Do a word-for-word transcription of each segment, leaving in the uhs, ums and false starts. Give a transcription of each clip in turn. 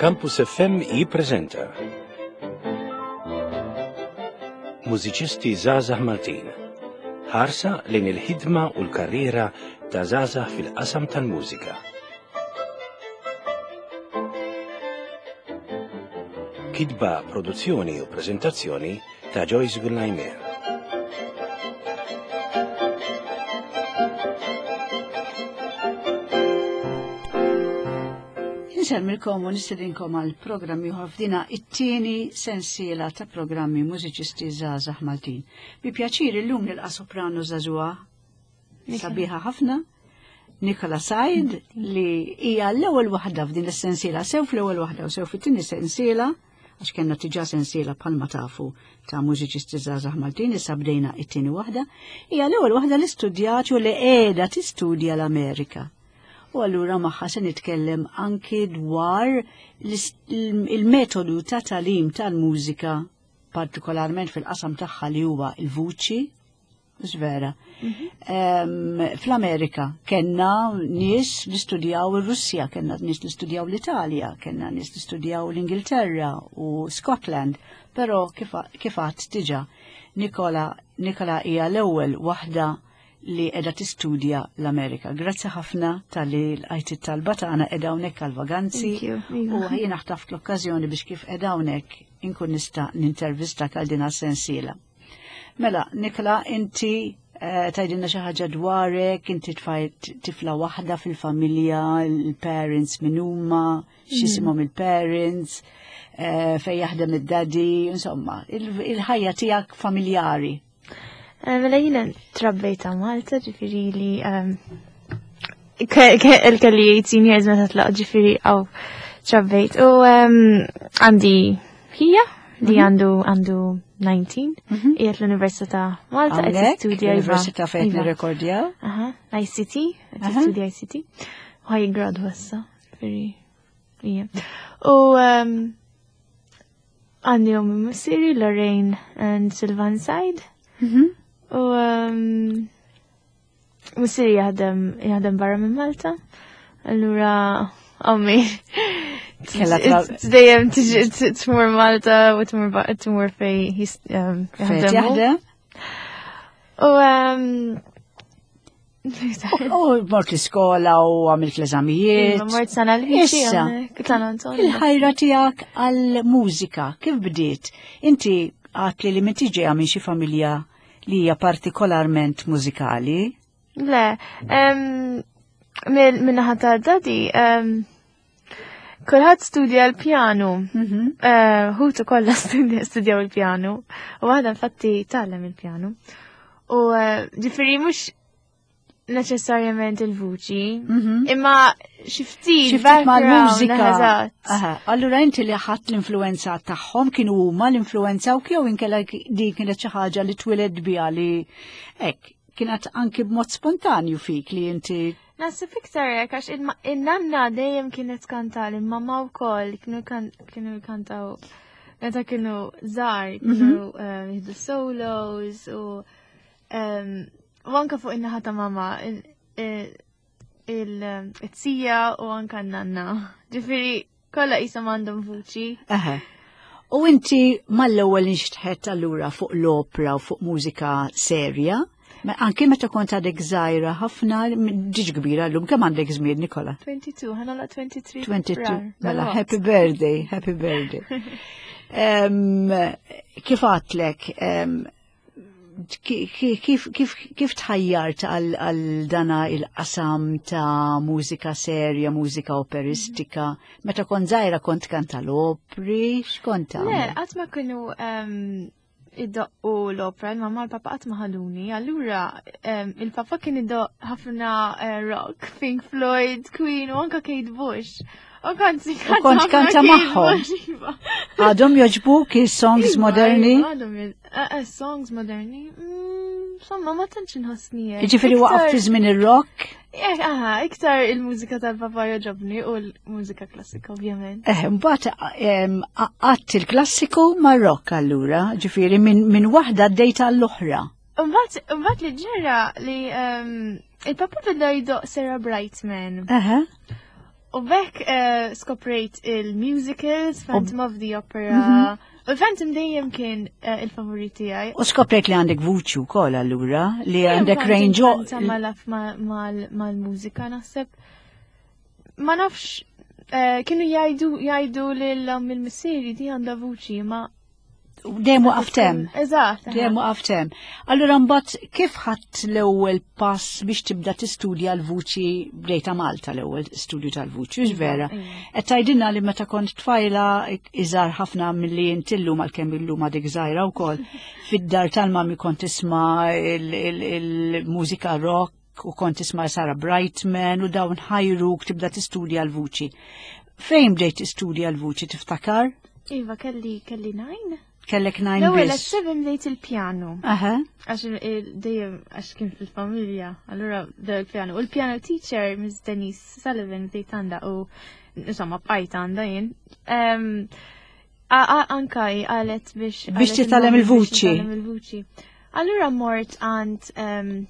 Campus F M jippreżenta Mużiċisti Żgħażagħ Maltin. Ħarsa lejn il-ħidma u l-karriera ta' żgħażagħ fil-qasam tal-mużika. Kitba, produzzjoni u preżentazzjoni ta' Joyce Gullajmer. Insellmilkom u nistedinkom għal programm ieħor f'dina it-tieni sensiela ta' programmi Mużiċisti Żgħażagħ Maltin. Bi pjaċir illum nilqa' soprano żagħżugħa sabiħa ħafna, Nikola Said, li hija l-ewwel waħda f'din is-sensiela, sew fl-ewwel waħda u sew fit-tieni sensiela, għax kellna diġà sensiela bħalma tafu ta' Mużiċisti Żgħażagħ Maltin, issa bdejna it-tieni waħda, hija l-ewwel waħda li studjat u li qiegħda tistudja l-Amerika. U allura magħha se nitkellem anki dwar il-metodu ta' tagħlim tal-mużika, partikolarment fil-qasam tagħha li huwa il-vuċi, vera. Mhm. Fl-Amerika kellna nies li studjaw ir-Russja, kellna nies li studjaw l-Italja, kellna nies li studjaw l-Ingilterra u Scotland, però kif għedt diġà, Nikola Nikola hija l-ewwel waħda li qiegħda tistudja l-Amerika. Grazzi ħafna talli lqajt it-talba tagħna, qiegħda hawnhekk għal-vaganzi u jiena ħtaft l-okkażjoni biex kif qiegħda hawnhekk inkun nista' nintervista għal din sensiela. Mela, Nikola, inti eh, tgħidilna xi ħaġa dwarek, inti tifla waħda fil-familja, il-parents min huma, x'isimhom il-parents, eh, fejn jaħdem id-daddy, insomma, il-ħajja tiegħek familjari. Eh, mela jiena trabbejt Malta, ġifieri li kelli eighteen years meta tlaqt, ġifieri hawn trabbejt. U għandi ħija li mhm. għandu għandu tmintax, mhm. qiegħed l-Università Malta, qed tistudja. L-Università fejn iva. nirrekordjaw? I C T, qed tistudja I C T. U ħa jiggradwa issa, ġifieri. U għandi ommi u missieri, Lorraine and Sylvan Said. Mhm. U missieri jaħdem jaħdem barra minn Malta. Allura ommi dejjem tiġi tmur Malta u tmur fejn jaħdem. U U mort l-iskola u għamilt l-eżamijiet. Mort sena l Issa, il-ħajra tiegħek għal-mużika, kif bdiet? Inti għedt li li m'intix ġeja minn xi familja li hija partikolarment mużikali? Le, min-naħa ta' daddy, kulħadd studja l-pjanu. Mhm. Eh, ħutu kollha studjaw il-pjanu. U waħda infatti tgħallem il-pjanu. U eh, ġifieri mhux neċessarjament il-vuċi, mhm. imma xi ftit mal-mużika. Allura inti li ħadt l-influenza tagħhom, kienu huma l-influenza u jew inkella din kienet xi ħaġa li twelidt biha, li hekk kienet anki b'mod spontanju fik li inti? Naħseb iktar hekk, għax in-nanna dejjem kienet tkanta, il-mamma wkoll kienu kienu jkantaw meta kienu żgħar, kienu mhm. eh, jieħdu solos u u anka fuq in-naħa ta' mama iz-zija u anka n-nanna. Ġifieri kollha qishom għandhom vuċi. U inti mal-ewwel inxtħet allura fuq l-opera u fuq mużika serja? Anki meta kont għadek żgħira ħafna, ġiġ kbira llum, kemm għandek żmien, Nikola? tnejn u għoxrin, ħa nagħlaq tlieta u għoxrin. tnejn u għoxrin, mela happy birthday, happy birthday. Kif għedtlek, kif, kif, kif tħajjart għal dana il-qasam ta' mużika serja, mużika operistika? Meta kont żgħira kont kanta l-opri, x'kont Le, qatt ma kienu iddoqqu l-opera, il-mamma l-papa qatt ma ħaduni, allura il-papa kien iddoq ħafna eh, rock, Pink Floyd, Queen u anka Kate Bush. U kont kont kanta magħhom. Iva. Għadhom jogħġbuk il-songs Iva, moderni? Iva, għadhom eh, eh, songs moderni. Mm, insomma, ma tantx inħossni hekk. Ġifieri waqaf fi żmien ir-rock? Eh, aha, iktar il-mużika tal-papa jogħġobni u l-mużika klassika, ovvjament. Eh, mbagħad għadt il-klassiku mar-rock allura, ġifieri minn min waħda għaddejt għall-oħra. Mbagħad mbagħad li ġara li il-papa beda jdoqq Sarah Brightman. Aha. U b'hekk eh, skoprejt il-musicals, Phantom of the Opera. U Phantom dejjem kien eh, il-favorit tiegħi. U skoprejt li għandek vuċi wkoll allura, li għandek range. Kont malaf mal-mużika naħseb. Ma nafx, eh, kienu jgħidu jgħidu lil il-missieri di għandha vuċi, ma Dejjem waqft hemm. Eżatt. Dejjem waqft hemm. Allura mbagħad kif ħadt l-ewwel pass biex tibda tistudja l-vuċi bdejta Malta l-ewwel studju tal-vuċi, hux vera? Iva. Qed tgħidilna li meta kont tfajla iżgħar ħafna milli inti llum għalkemm illum għadek żgħira wkoll, fid-dar tal-mami kont tisma' il-mużika rock u kont tisma' Sarah Brightman u dawn ħajruk tibda tistudja l-vuċi. Fejn bdejt tistudja l-vuċi tiftakar? Iva, kelli kelli nine. Kellek nine L-ewwel at biss. seven bdejt il-pjanu. Aha. Għax il- dejjem għax kien fil-familja, allura bdew il-pjanu. U l-piano teacher, Miss Denise Sullivan, bdejt għandha u insomma bqajt għandha jien. Em, a- a- Anka hi qalet biex Biex qalet titgħallem il-mami biex il-vuċi. nitgħallem il-vuċi. Allura mort għand em,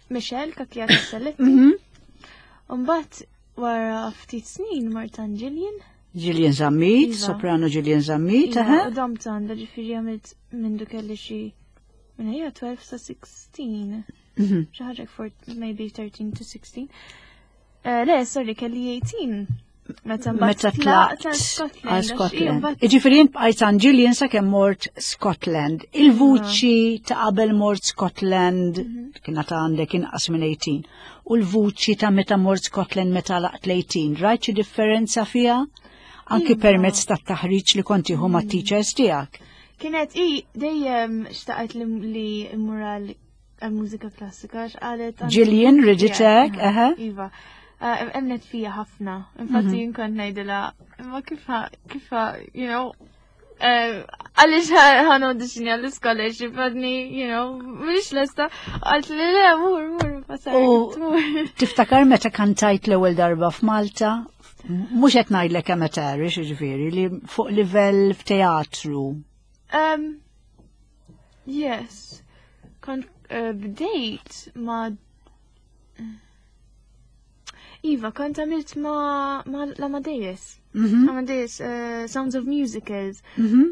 Michelle Cachia Selletti. Mhm. Mbagħad wara ftit snin mort għand Gillian. Gillian Zammit, Iva. soprano Gillian Zammit, Iva, aha. U domt għandha ġifieri għamilt mindu kelli xi minn hija tnax sa sittax. Mhm. Xi ħaġa for maybe thirteen to sixteen. Eh, Le, sorry, kelli tmintax. Meta mbagħad Meta tlaqt tlaqt għal Scotland. għal Għax Scotland. mbagħad- Iġifieri jien bqajt għand Gillian sakemm mort Scotland. Il-vuċi ta' qabel mort Scotland kienet għandek inqas minn tmintax. U l-vuċi ta' meta mort Scotland meta laqt l-tmintax. Rajt xi differenza fiha? Anki Iva. permezz tat-taħriġ li kont tieħu mat-teachers tiegħek. Kienet i dejjem xtaqet li li immur għal għal mużika klassika għax qalet għandi- Gillian riditek, Yeah, aha. Iva. Eh, Emnet fija ħafna. Infatti jien kont ngħidilha, imma kif ħa- kif ħa- you know, eh, għaliex ħa naudixxinja għall-scholarship għadni, you know, mhix lesta. Għalt li le, mur, mur, pasar, U- mur. Tiftakar meta kantajt l-ewwel darba f'Malta? Mhux qed ngħidlek amateurish, jiġifieri, li fuq livell f'teatru. Um, yes. Kont uh, bdejt ma Iva, kont għamilt ma, ma l-Amadeus. Mhm. Amadeus, uh, Sounds of Musicals. Mhm.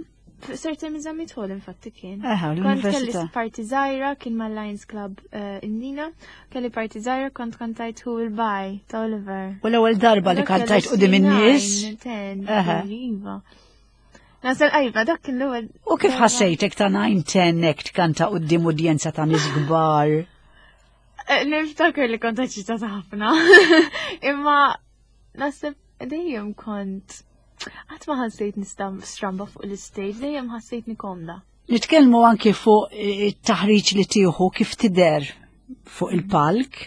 Sir Temi Zammit Hall infatti kien. Eħe, Kont kelli l-università. parti żgħira kien ma' Lions Club uh, Indina, kelli parti żgħira kont kantajt Who Will Buy ta' Oliver. U l-ewwel darba li Dak kelli kantajt quddiem in-nies. nine, ten, Eħe. Iva. Nasal iva, dak kien l-ewwel. U kif darba. ħassejtek ta' nine ten hekk tkanta quddiem udjenza ta' nies kbar? Eh, Niftakar li kont eċitata ħafna. Imma naħseb dejjem kont qatt ma ħassejt nista' stramba fuq l-stage, dejjem ħassejtni komda. Nitkellmu anki fuq it-taħriġ li tieħu kif tidher fuq il-palk,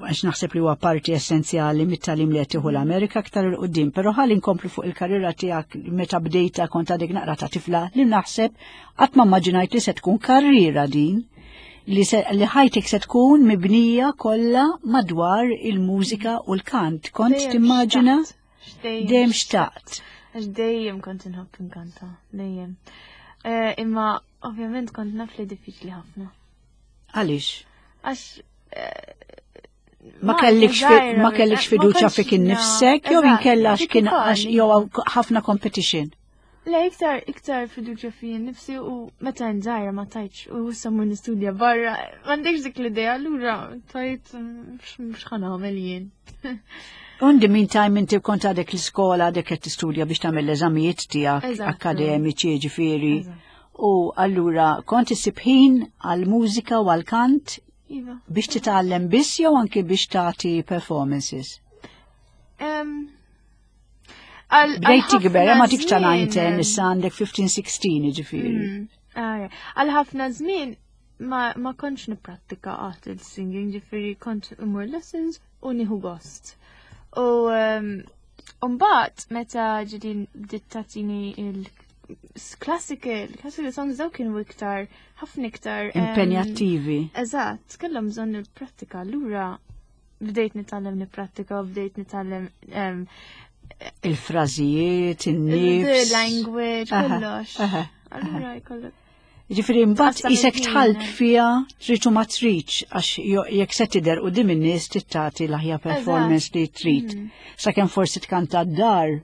għax naħseb li huwa parti essenzjali mit-tagħlim li qed tieħu l-Amerika aktar 'il quddiem, però ħalli nkomplu fuq il-karriera tiegħek meta bdejta kont għadek naqra ta' tifla li naħseb qatt ma immaġinajt li se tkun karriera din li, se, li ħajtek se tkun mibnija kollha madwar il-mużika u l-kant. Kont Dejjem timmaġina? xtaqt. Dejjem Dejjem xtaqt. Għax dejjem kont inħobb inkanta, dejjem. Eh, Imma ovvjament kont naf li diffiċli ħafna. Għaliex? Għax eh, Ma Malta kellikx fi- żgħira, ma kellikx ma fiduċa kontx fik na- innifsek jew Eżatt, inkella għax dik kien ukoll, għax jew ħafna competition. Le, iktar, iktar fiduċja fi nifsi u meta nżajra ma tajtx u issa mur nistudja barra, m'għandekx dik l-idea, allura tajt mhux ħa nagħmel jien. In the meantime inti kont għadek l-iskola għadek qed tistudja biex tagħmel l-eżamijiet tiegħek Eżattu. akademiċi ġifieri. Eżatt. U allura kont issib ħin għall-mużika u għall-kant Iva. biex titgħallem biss jew anke biex tagħti performances. Em, għal- Bdejt għal tikber, ħafna ma tikx ta' nine żmien, ten, issa għandek fifteen sixteen ġifieri. Mm, ah, Għal ħafna żmien ma, ma kontx nipprattika qatt il-singing, ġifieri kont imur lessons u nieħu gost. U um, mbagħad meta ġidin bdiet tagħtini il-classical, classical songs daw kienu iktar, ħafna iktar em, Impenjattivi. Eżatt, kellhom bżonn il-prattika. Allura bdejt nitgħallem nipprattika, bdejt nitgħallem em, Il-frażijiet, the in-nifs. language, Aha, kollox. aha, Allura jkollok. Ġifieri mbagħad Tqassam isek il-ħin. tħalt fija trid u ma tridx għax jo- jekk se tidher quddiem in-nies trid tagħti l-aħjar performance li trid. Sakemm forsi tkanta d-dar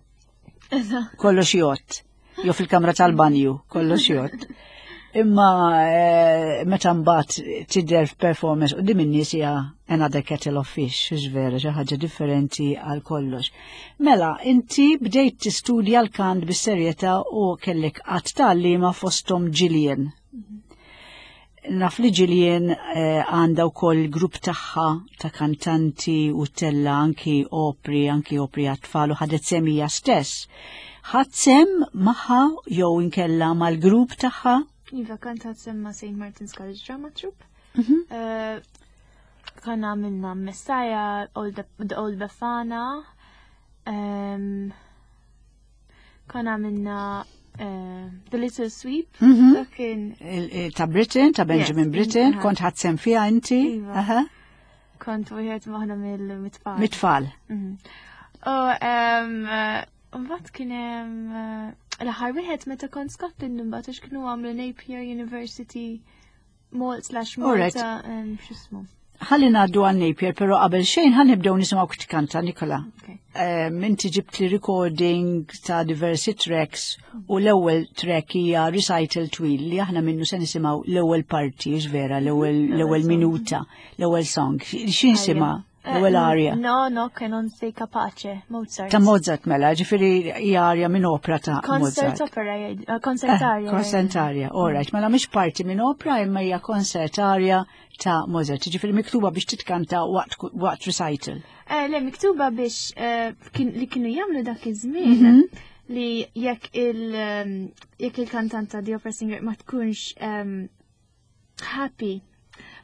Eżatt. kollox jgħodd. Jew fil-kamra tal-banju, kollox jgħodd. Imma eh, meta mbagħad tidher f'performance quddiem in-nies hija another kettle of fish, hux vera, xi ħaġa differenti għal kollox. Mela, inti bdejt tistudja l-kant bis-serjetà u kellek għadd ta' għalliema fosthom Gillian. Naf li Gillian eh, għandha wkoll grupp tagħha ta' kantanti u ttella' anki opri, anki opri għat-tfal u ħadet sehem hija stess. Ħadt sehem magħha jew inkella mal-grupp tagħha? Iva, kont ħadt sehem ma' Saint Martin's College Drama Troupe. Mhm. Eh, Konna għamilna Messiah, Old, The Old Befana. Um, konna għamilna eh, The Little Sweep. Mhm. Dak kien Il- il- Ta' Britten, ta' Benjamin Yes, Britten, aha. kont ħadt sehem fiha inti? Iva. Aha. kont wieħed waħda mill-mitfall. Mit-tfal. Mhm. U um, eh, mbagħad kien hemm eh, l-aħħar wieħed meta kont Scotland imbagħad għax kienu għamlu Napier University Malt slash Alright. Malta um, x'ismu. Ħalli ngħaddu għal Napier, però qabel xejn ħa nibdew nisimgħu kif tkanta Nikola. Okay. Um, inti ġibt li recording ta' diversi tracks u l-ewwel track hija recital twil li aħna minnu se nisimgħu l-ewwel parti, hux vera, l-ewwel l-ewwel song. minuta, l-ewwel song. X'insimha? Eh, L-ewwel aria. No, no, che non sei capace, Mozart. Ta' Mozart mela, ġifieri hija aria minn opera ta' Concert Mozart. opera, jgħid- eh, concert aria. Eh, Concert aria, all right. Mela mhix parti minn opera imma hija concert aria ta' Mozart. Ġifieri miktuba biex titkanta waqt waqt recital. Eh, le, miktuba biex eh, kien- li kienu jagħmlu dak iż-żmien Mhm. li jekk il um, jekk il-kantanta the opera singer ma tkunx um, happy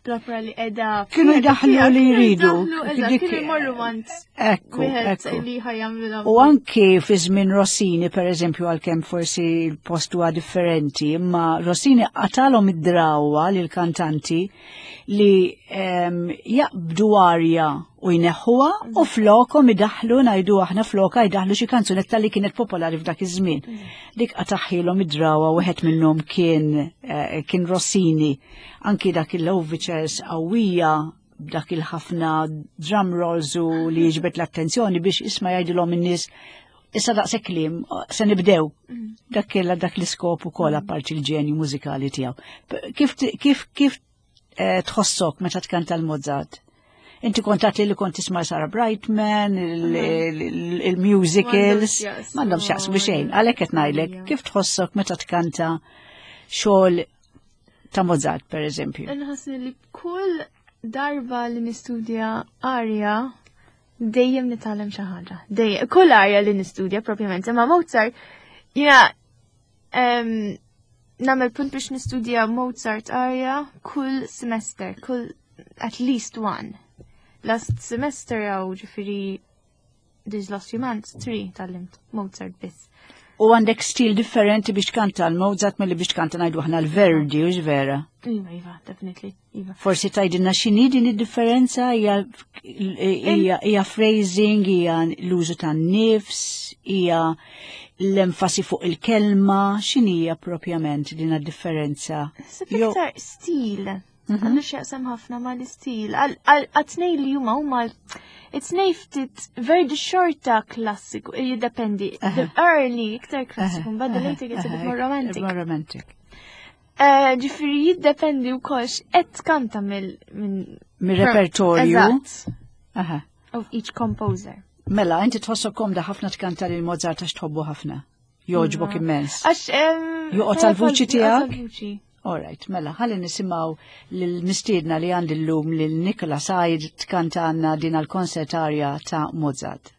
bl-opera li qiegħda Kienu jdaħħlu li jridu. Kienu Dik- jmorru għand Ekku, wieħed ekku. li ħa jagħmlu U anki fi żmien Rossini, per eżempju, għalkemm forsi l-post huwa differenti, imma Rossini qatalhom id-drawa lil kantanti li em, jaqbdu arja u jneħħuha u flokhom idaħlu ngħidu aħna floka jdaħlu xi kanzunetta li kienet popolari f'dak iż-żmien. Dik qataħilhom id-drawa wieħed minnhom kien eh, kien Rossini. Anki dak il-overtures qawwija dak il-ħafna drum rolls u li jiġbed l-attenzjoni biex isma' jgħidilhom in-nies issa daqshekk kliem se nibdew. Dak kella dak l-iskop ukoll apparti l-ġenju mużikali tiegħu. P- Kif kif kif eh, tħossok meta tkanta l-Mozart? Inti kont għedt li kont tisma' Sarah Brightman, il- il- il-musicals, M'għandhomx m'għandhom x'jaqsmu xejn. Għalhekk qed ngħidlek, Ija. kif tħossok meta tkanta xogħol ta' Mozart, per eżempju? Nħossni li kull darba li nistudja aria dejjem nitgħallem xi ħaġa. Dejjem, kull aria li nistudja propjament, imma Mozart jiena em, nagħmel punt biex nistudja Mozart aria kull semester, kull at least one. Last semester jew ġifieri these last few months, three tgħallimt Mozart biss. U għandek stil differenti biex tkanta l-Mozart milli biex tkanta ngħidu aħna l-Verdi, hux vera? Iva, iva, definitely, iva. Forsi tgħidilna x'inhi din id-differenza hija hija hija phrasing, hija l-użu tan-nifs, hija l-enfasi fuq il-kelma, x'inhija propjament din id-differenza? Naħseb Jo- iktar stil. Għandu x'jaqsam ħafna ma l-istil. Għat-tnejn li huma huma it-tnejn ftit Verdi xorta klassiku, jiddependi. The early iktar klassiku, mbagħad the later gets a bit more romantic. More romantic. Eh, Ġifieri jiddependi wkoll x'qed tkanta mill minn Mir-repertorju. Eżatt. Aha. Of each composer. Mela, inti tħossok komda ħafna tkanta lil Mozart għax tħobbu ħafna. Jogħġbok immens. Għax em, Joqgħod għall-vuċi joqgħod tiegħek? għall-vuċi. All right, mela, ħalli nisimgħu l-mistiedna li għandi l-lum lil Nikola Said tkanta għandna din għal-concert aria ta' Mozart.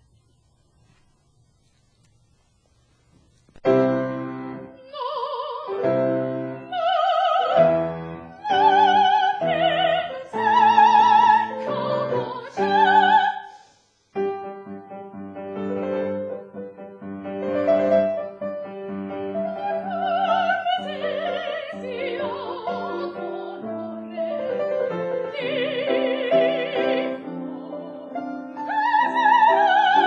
Thank you.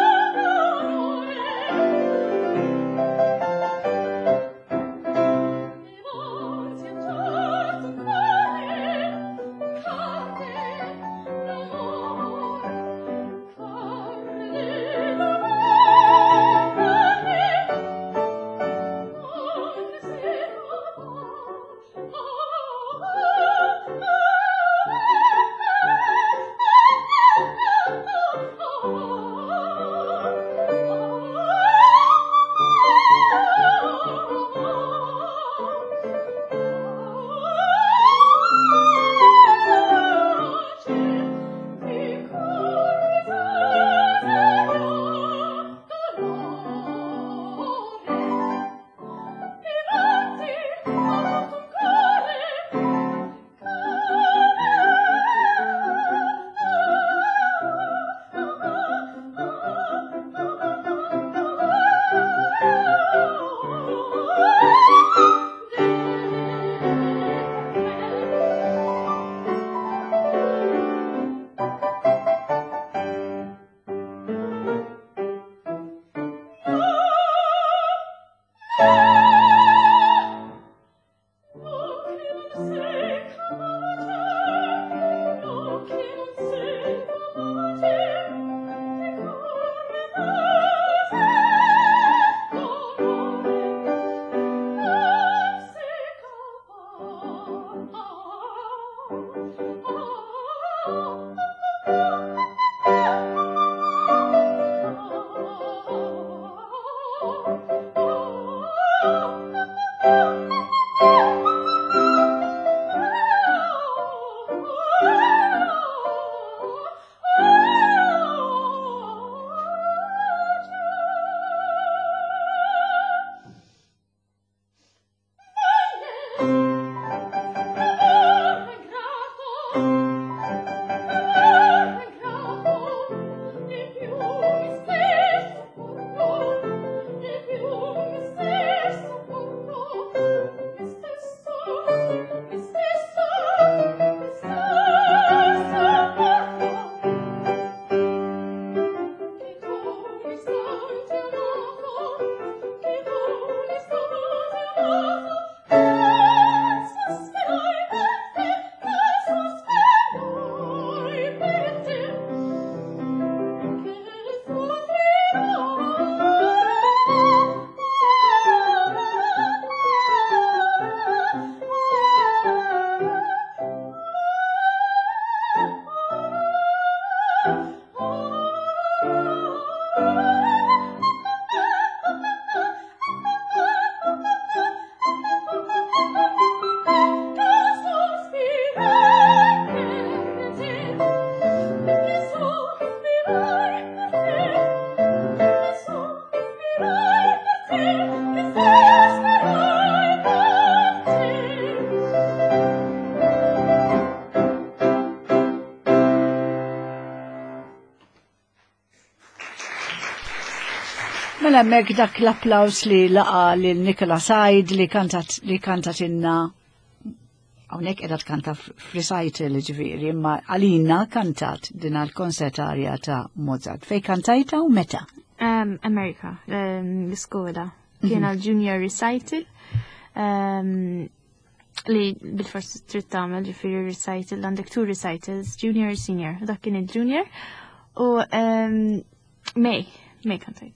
Mela hemmhekk dak l-applaws li laqa lil Nicola Said li kantat li kantat inna hawnhekk qiegħda tkanta f'recital ġifieri, imma għalina kantat din l-concert aria ta' Mozart. Fej kantajta u meta? Um, Amerika, um, l-iskola. Kien għal junior recital um, li bil-forsi trid tagħmel ġifieri recital, għandek two recitals, junior u senior. Dak kien il-junior. U um, May, May kantajt.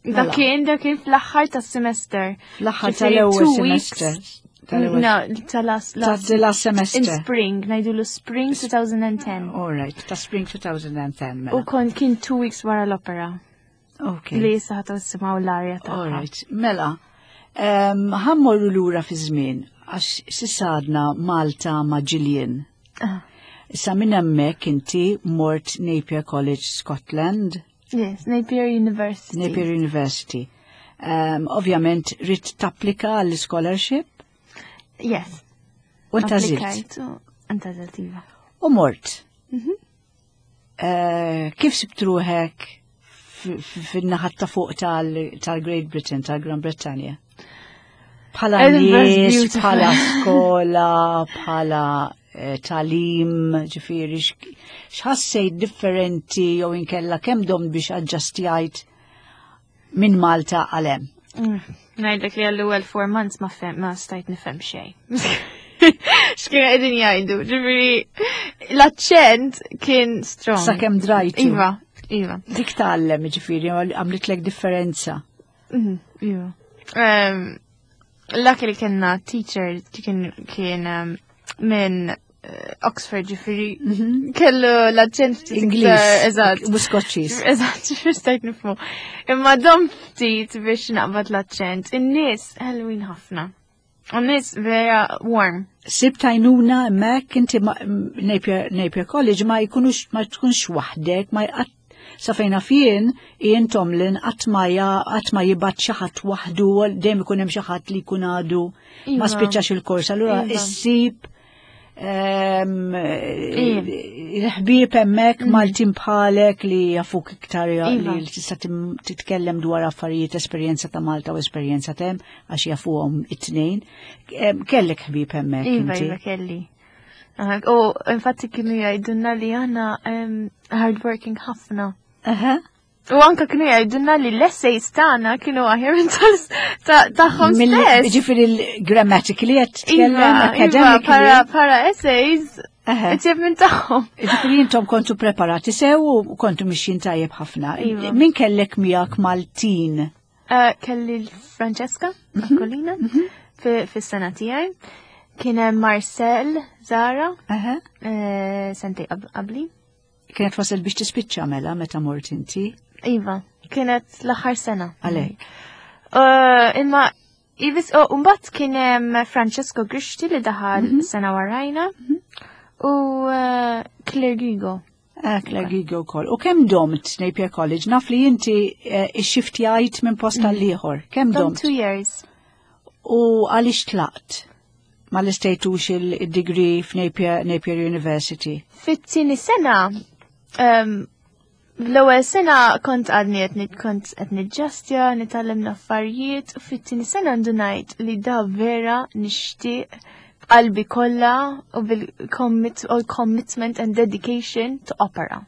Dak Mela. kien, dak kien fl-aħħar tas-semester. Fl-aħħar Ġifieri tal-ewwel two weeks. semester. Tal-ewwel No, tal-last Ta' the last semester. In spring, ngħidulu spring twenty ten. All right, ta' spring twenty ten. U Mela. kon kien two weeks wara l-opera. Okay. Li issa ħa tisimgħu l-arja tagħha. All right, mela, um, ħa mmorru lura fi żmien għax s'issa għadna Malta ma' Gillian. Ah. Issa minn hemmhekk inti mort Napier College, Scotland. Yes, Napier University. Napier University. Um, ovvjament, ridt tapplika għall-scholarship Yes. u ntgħażilt. Applikajt u ntgħażilt, iva. U mort. Mhm. Uh, kif sibt ruħek fin-naħat ta' fuq tal- tal-Great Britain, tal-Gran Brittanja? Bħala Edinburgh's nies, beautiful. bħala skola, bħala eh, tagħlim, ġifieri, x'ħassejt differenti jew inkella kemm domt biex aġġustjajt minn Malta għal hemm? Mm. Ngħidlek li għall-ewwel four months ma fem, ma stajt nifhem xejn. X'kienu qegħdin jgħidu, ġifieri l-aċċent kien strong. Sakemm drajtu. Iva, iva. Dik tgħallem, ġifieri, għamlitlek differenza. Mhm, Iva. Um, Luckily kellna teacher kien kien um, minn eh, Oxford, ġifieri kellu l-aċċent ftit Ingliż. iktar- Eżatt. U Skoċċiż. Eżatt, ġifieri stajt nifhmu. Imma dom ftit biex naqbad l-aċċent. In-nies ħelwin ħafna. U n-nies vera warm. Sibt għajnuna hemmhekk inti ma- Napier, Napier College ma jkunux ma tkunx waħdek, ma jqat sa fejna fien Ian Tomlin qatt ma ja- qatt ma jibgħat xi ħadd waħdu, dejjem ikun hemm xi ħadd li jkun għadu ma Iva. spiċċax il-kors. Allura Iva. issib ehm, Iva. il-ħbieb hemmhekk Maltin bħalek li jafuk iktar Iva. li tista' tim- titkellem dwar affarijiet, esperjenza ta' Malta u esperjenza t'hemm għax jafuhom it-tnejn. Em, Kellek ħbieb hemmhekk Iva, inti. iva, kelli. Aha, u infatti kienu jgħidulna li aħna um, hardworking ħafna. Aha. U anka kienu jgħidulna li l-essays tagħna kienu aħjar minn tal- ta- tagħhom Mill- stess. Ġifieri l-grammatically qed titkellem, Iva, iva, academically. para, para essays, Aha. itjeb minn tagħhom. Ġifieri intom kontu preparati sew u kontu mixjin tajjeb ħafna. Iva. Min kellek miegħek Maltin? Uh, kelli l-Francesca Aquilina fi fis-sena tiegħi. Kien hemm Marcel Zara, Aha. eh, sentejn qab- qabli. Kienet wasal biex tispiċċa mela meta mort inti. Iva, kienet l-aħħar sena. Għalek. Uh, imma Ivis, oh, mbagħad kien hemm Francesco Grixti li daħal sena warajna u uh, Claire Gigo. Ah, Claire Gigo wkoll. U kemm domt Napier College? Naf li inti eh, ixxiftjajt minn post għall-ieħor. Kemm Dom domt? two years. U għaliex tlaqt? Ma lestejtux il-degree f'Napier Napier University. Fit-tieni sena, um, l-ewwel sena kont għadni qed nit- kont qed niġġastja, nitgħallem l-affarijiet, u fit-tieni sena ndunajt li da vera nixtieq b'qalbi kollha u bil-commit all commitment and dedication to opera.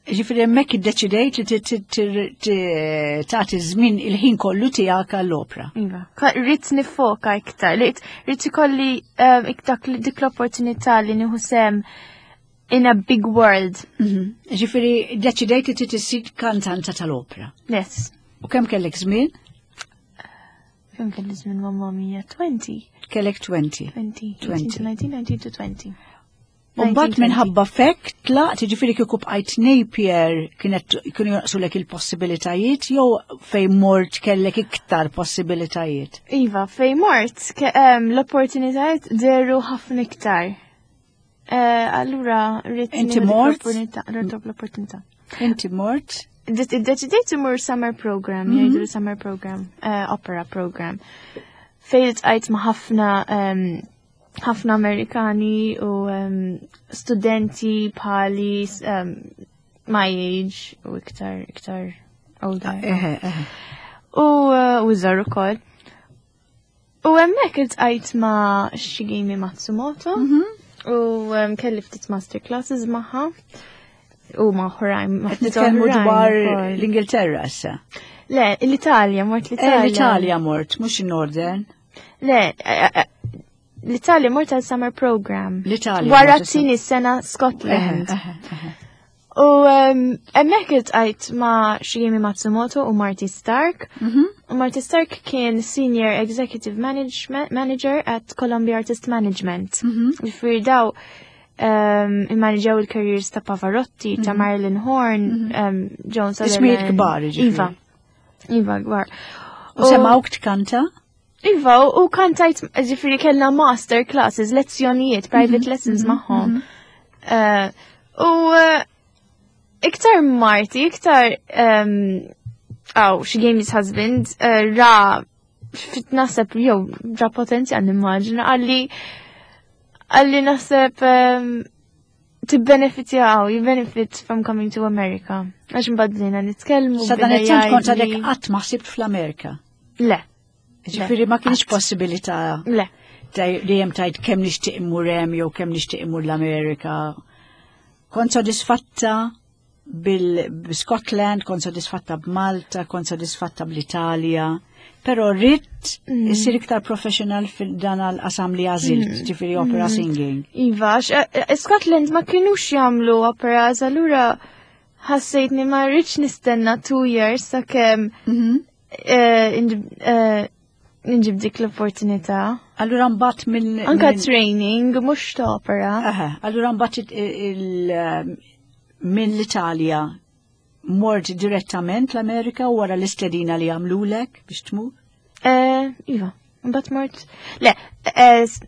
Ġifieri hemmhekk iddeċidejt li ti- ti- ti- ti- tagħti żmien il-ħin kollu tiegħek għall-opra. Iva. Ka- Rrid nifoka iktar, rrid rrid ikolli um, iktar dik l-opportunità li nieħu sehem in a big world. Ġifieri iddeċidejt li trid issir kantanta tal-opra. Yes. U kemm kellek żmien? Kemm kelli żmien mamma mia? twenty. Kellek twenty. twenty. twenty. nineteen, nineteen to twenty. U mbagħad nineteen, minħabba fek tlaqt, ġifieri kieku bqajt Napier kienet kienu jonqsulek il-possibilitajiet jew fejn mort kellek iktar possibilitajiet? Iva, fej mort, ke- em, l-opportunitajiet deru ħafna iktar. Eh, Allura, rrid Inti nieħu dik mort? l-opportunità- rrid l-opportunità. Inti mort? Iddeċidejt imur summer program, jgħidu summer program, eh, opera program. Fejn iltqajt ma' ħafna em, ħafna Amerikani u em, studenti bħali em, my age u iktar iktar older. Eħe, eħe. U uh, u żgħar ukoll. U hemmhekk iltqajt ma' Shigemi Matsumoto u um, kelli ftit master classes magħha u ma' oħrajn. Ma' Qed ftit nitkellmu oħrajn dwar ukoll. l-Ingilterra issa. Le, l-Italja, mort Eh, l-Italja. L-Italja mort, mhux in-Northern. Le, eh, eh, l-Italja mort għal summer program. L-Italja Wara mort t-tieni sena Scotland. Eħe, eħe. U um, hemmhekk iltqajt ma' Shigemi Matsumoto u Marty Stark. Mhm. U Marty Stark kien Senior Executive Management, Manager at Columbia Artist Management. Mhm. Ġifieri daw um, immaniġaw il-careers ta' Pavarotti, ta' Marilyn Horne, um, Joan Sutherland. Ismijiet kbar, ġifieri. Iva. Iva, kbar. U semawk tkanta? Iva, u u kantajt, ġifieri kellna master classes, lezzjonijiet, private lessons magħhom. Eh, U eh, iktar Marty, iktar, um, oh, Shigemi's husband, eh, ra, fit naħseb, jew, ra potenzjal nimmaġina, qalli, qalli naħseb, um, tibbenefitjaw, you benefit from coming to America. Għax mbadlina nitkellmu. Sa dan beda it-tant kont għadek jgħidli- qatt ma ħsibt fl-Amerika. Le, Ġifieri ma kienx qatt. possibilità le. dejjem tajt kemm nixtieq immur hemm jew kemm nixtieq immur l-Amerika. Kont sodisfatta bil-Scotland, kont sodisfatta b'Malta, kont sodisfatta bl-Italja, però ridt issir iktar professional fil-dan għal-qasam li għażilt, ġifieri opera singing. Iva, għax, eh, eh, Scotland ma kienux jagħmlu operas, allura ħassejtni ma rridx nistenna two years sakemm eh, inġib- eh, nġib dik l-opportunità. Allura mbagħad mill Anka minn- training, mhux ta' opera. Aha, allura mbagħad il- il- minn l-Italja mort direttament l-Amerika u wara l-istedina li għamlulek biex tmur? Eh, Iva, mbagħad mort. Le, eh, s-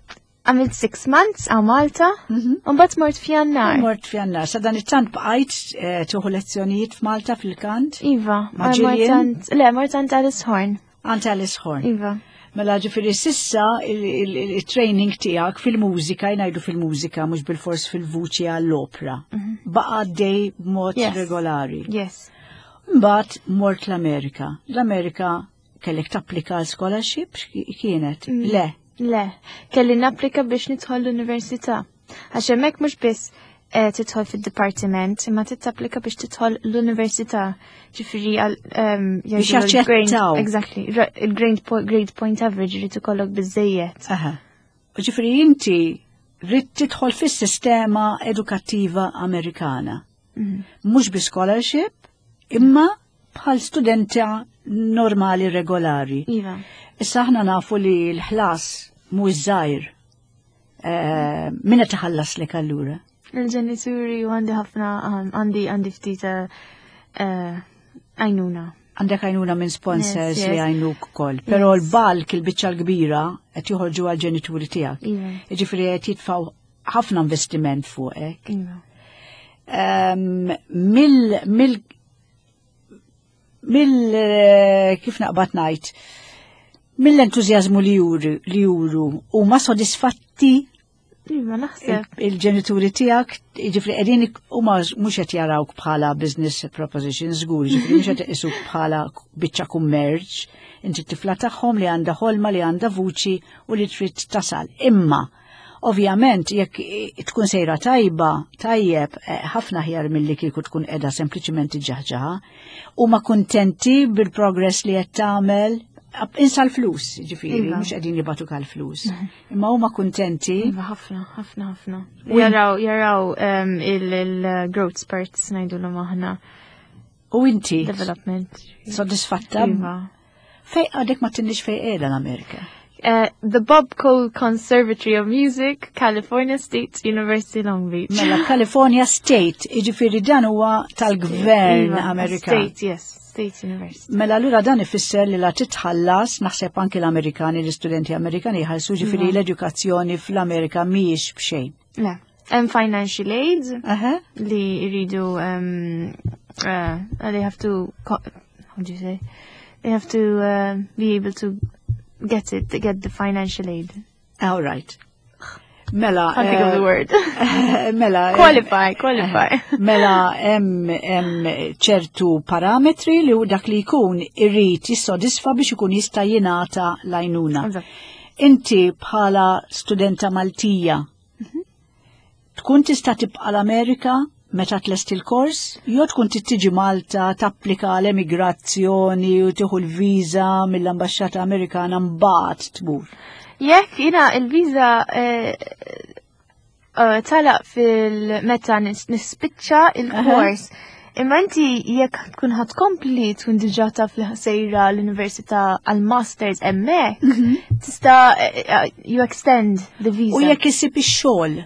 għamilt six months għal Malta, u mbagħad mort f'Jannar. Mort f'Jannar. Sa dan it-tant bqajt eh, tieħu lezzjonijiet f'Malta fil-kant? Iva, Ma' mort Gillian? għand- le, mort għand Alice Horn. Għand Alice Horn. Iva. Mela ġifieri sissa il-training tiegħek fil-mużika, jgħidu fil-mużika, mhux bil-fors fil-vuċi għall-opra. Baqa dej b'mod Yes. regolari. Yes. Mbagħad mort l-Amerika. L-Amerika kellek tapplika għal scholarship x'ki- kienet? Le. Le, kelli napplika biex nidħol l-università. Għax hemmhekk mhux biss eh, tidħol fid-dipartiment, imma titapplika biex tidħol l-università. Ġifieri għal ehm, Biex jgħidulu l-grade- jaċċettawk. Exactly. ra- Il-grade po- grade point average irid ikollok biżejjed. Aha. U ġifieri inti rrid tidħol fis-sistema edukattiva Amerikana. Mhux bi scholarship, imma bħal studenta normali regolari. Iva. Issa aħna nafu li l-ħlas mhux żgħir. Eh, Min qed iħallaslek allura? Il-ġenituri u għandi ħafna, għandi għandi ftit eh, għajnuna. Għandek għajnuna minn sponsors Yes, yes. li għajnuk ukoll. Però Yes. l-bulk, il-biċċa l-kbira, qed joħorġu għal-ġenituri tiegħek. Iva. Jiġifieri qed jitfgħu ħafna investiment fuqek. Iva. Ehm, Mill mill mill eh, kif naqbad ngħid, mill-entużjażmu li juru li juru huma sodisfatti Iva, naħseb. il- il-ġenituri tiegħek, jiġifieri qegħdin huma mhux qed jarawk bħala business proposition żgur, jiġifieri mhux qed iqisuk bħala biċċa kummerċ, inti tifla tagħhom li għandha ħolma li għandha vuċi u li trid tasal. Imma ovvjament jekk tkun sejra tajba, tajjeb, eh, ħafna ħjar milli kieku tkun qiegħda sempliċiment iġġaħġaħa, huma kuntenti bil-progress li qed tagħmel, insa l-flus, ġifieri, Iva. mhux qegħdin jibagħtuk għall-flus. Imma huma kuntenti. Iva, ħafna, ħafna, ħafna. Jaraw, jaraw um, il-growth spurts ngħidulhom aħna. U inti Development. soddisfatta? Iva. Fej għadek ma tinniex fej qiegħda l-Amerika. Uh, the Bob Cole Conservatory of Music, California State University, Long Beach. Mela California State, jiġifieri dan huwa tal-gvern Iva, Amerikan. State, yes, State University. Mela allura dan ifisser li la titħallas, naħseb anki l-Amerikani, l-istudenti Amerikani jħallsu ġifieri Iva. l-edukazzjoni fl-Amerika mhijiex b'xejn. Le, hemm financial aid Aha. li jridu um, uh, they have to, co- how do you say? They have to uh, be able to get it, to get the financial aid. All right. Mela. Can't think of the eh, word. Mela. eh, Qualify, qualify. Mela hemm hemm ċertu parametri li hu dak li jkun irrid jissodisfa biex ikun jista' jingħata l-għajnuna. Eżatt. Inti bħala studenta Maltija tkun tista' tibqa' l-Amerika meta tlest il-kors, jew tkun trid tiġi Malta tapplika l-emigrazzjoni u tieħu l-viża mill-Ambaxxata Amerikana mbagħad tmur. Jekk jina il-viza eh, eh, talaq fil-meta nis- nispiċċa il-kors. Imma inti jekk tkun ħa tkompli tkun diġà taf li sejra l-università għal-masters hemmhekk, tista' eh, eh, you extend the visa. U jekk issib ix-xogħol.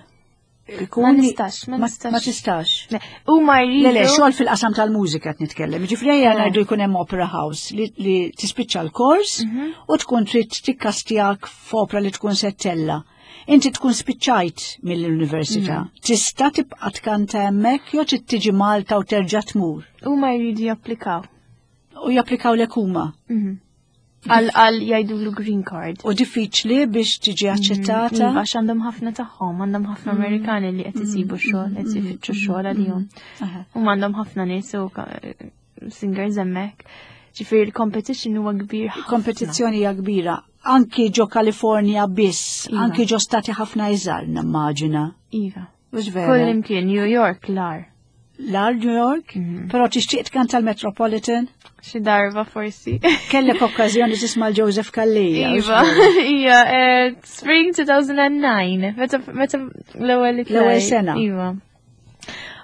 Ma nistax, ma nistax. Ma tistax. Le, Huma jridu. Le, le, xogħol fil-qasam tal-mużika qed nitkellem. Ġifieri ejja Eh. ngħidu jkun hemm opera house li, li tispiċċa l-kors Mhm. u tkun trid tikkastjak f'opra li tkun se ttella'. Inti tkun spiċċajt mill-università. Mhm. Tista' tibqa' tkanta hemmhekk jew trid tiġi Malta u terġa' tmur. Huma jridu japplikaw. U japplikaw lek huma. Mhm. Għal għal jgħidulu green card. U diffiċli biex tiġi aċċettata. Iva, għax għandhom ħafna tagħhom, għandhom ħafna Amerikani li qed isibu xogħol, qed ifittxu xogħol għalihom. Aha. U għandhom ħafna nies u ka- singers hemmhekk. Ġifieri il-competition huwa kbir ħafna. Kompetizzjoni hija kbira. Anki ġo Kalifornja biss, Iva. anki ġo stati ħafna iżgħar nimmaġina. Iva. Mhux vera? Kull imkien New York l-agħar. L-agħar New York, Mhm. però tixtieq tkanta l-Metropolitan, Xi darba forsi. kellek okkażjoni tisma' l-Joseph Calleja. Iva, ija, eh, Spring two thousand nine, meta meta l-ewwel li L-ewwel tlajt. sena. Iva.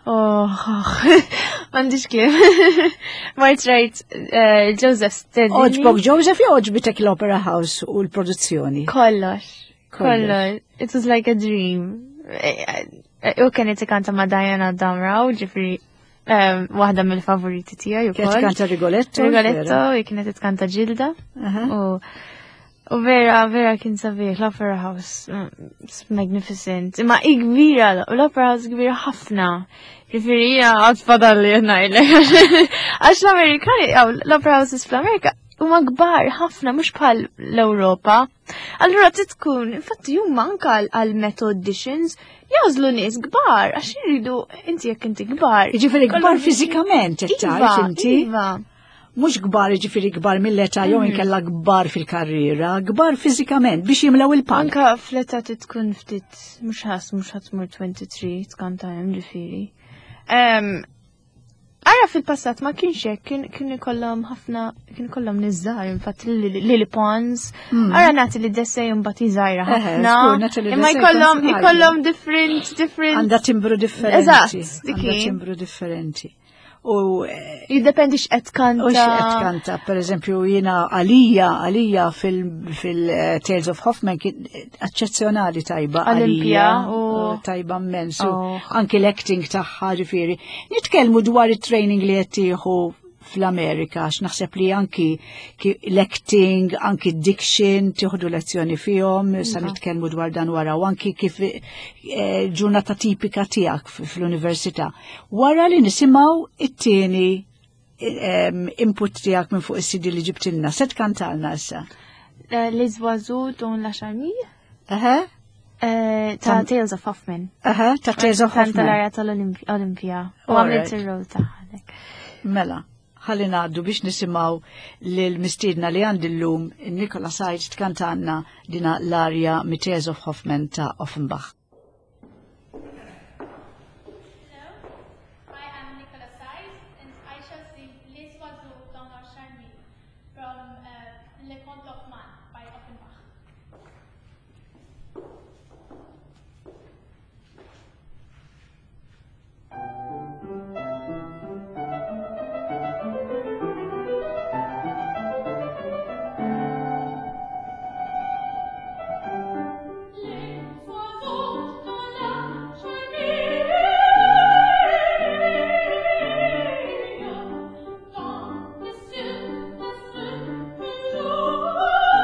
Oh, m'għandix kliem. Mort rajt eh, Joseph stedinni. Għoġbok Joseph jew għoġbitek l-Opera House u l-produzzjoni? Kollox. Kollox. Kollox. It was like a dream. Eh, eh, U kienet ikanta ma' Diana Damrau, ġifieri eh, waħda mill-favoriti tiegħi Kienet ukoll. kanta Rigoletto? Rigoletto, u kienet tkanta Gilda. Aha. U u vera, vera kien sabiħ, l-Opera House, mm, it's magnificent. Imma i kbira, l-Opera House kbira ħafna. Ġifieri jina għad fadalli ngħidlek. Għax l-Amerikani, aw, l-Opera Houses fl-Amerika, huma kbar ħafna, mhux bħal l-Ewropa. Allura trid tkun, infatti huma anka għal Met auditions jagħżlu nies kbar, għax jridu inti jekk inti kbar. Jiġifieri kbar Kollhom- fiżikament, qed Iva, tgħid inti? Iva. Mhux kbar jiġifieri kbar mill-età jew Mhm. inkella kbar fil-karriera, kbar fiżikament biex jimlew il-palk. Anka fl-età tkun ftit, mhux ħas, mhux ħa tmur tlieta u għoxrin tkanta hemm ġifieri. Em, Ara fil-passat ma kienx hekk, kien kien ikollhom ħafna, kien ikollhom nies żgħar, infatti Lily Pons. Ara Natalie Dessay mbagħad żgħira Eħe, ħafna. żgur, Natalie Imma Dessay jkollhom kont ikollhom different different. Għandha timbru differenti. Eżatt, dik Għandha hi. timbru differenti. U eh, Jiddependi x'qed kanta. U x'qed kanta, per eżempju, jiena għalija, għalija fil-Tales of Hoffman kien eċċezzjonali tajba. Olympia għalija, u- tajba immens. u Oh. Anki l-acting tagħha ġifieri. Nitkellmu dwar it-training li qed tieħu fl-Amerika, għax naħseb li anki ki- l-acting, anki diction, tieħdu lezzjoni fihom, sa Iva. nitkellmu dwar dan wara, u anki kif eh, ġurnata tipika tiegħek f- fl-università. Wara li nisimgħu it-tieni em, input tiegħek minn fuq is-C D li ġibtilna. Se tkantalna issa. Eh, Les Oiseaux dans la Charmille. Aha, eh, Ta' Tam- Tales of Hoffman. aha, ta' Tales of Kanta Hoffman. l-arja tal-Olimpia. U All għamilt right. ir-rol tagħha. Mela, ħalli ngħaddu biex nisimgħu lil mistiedna li għandi llum Nicola Said tkantanna dina l-arja mit Tales of Hoffman ta' Offenbach. Hello, I am Nicola Said and I shall sing Les Oiseaux dans la Charmille from uh, Les Contes d'Hoffmann by Offenbach. Les oiseaux dans la charmille, dans les cieux, à ce jour.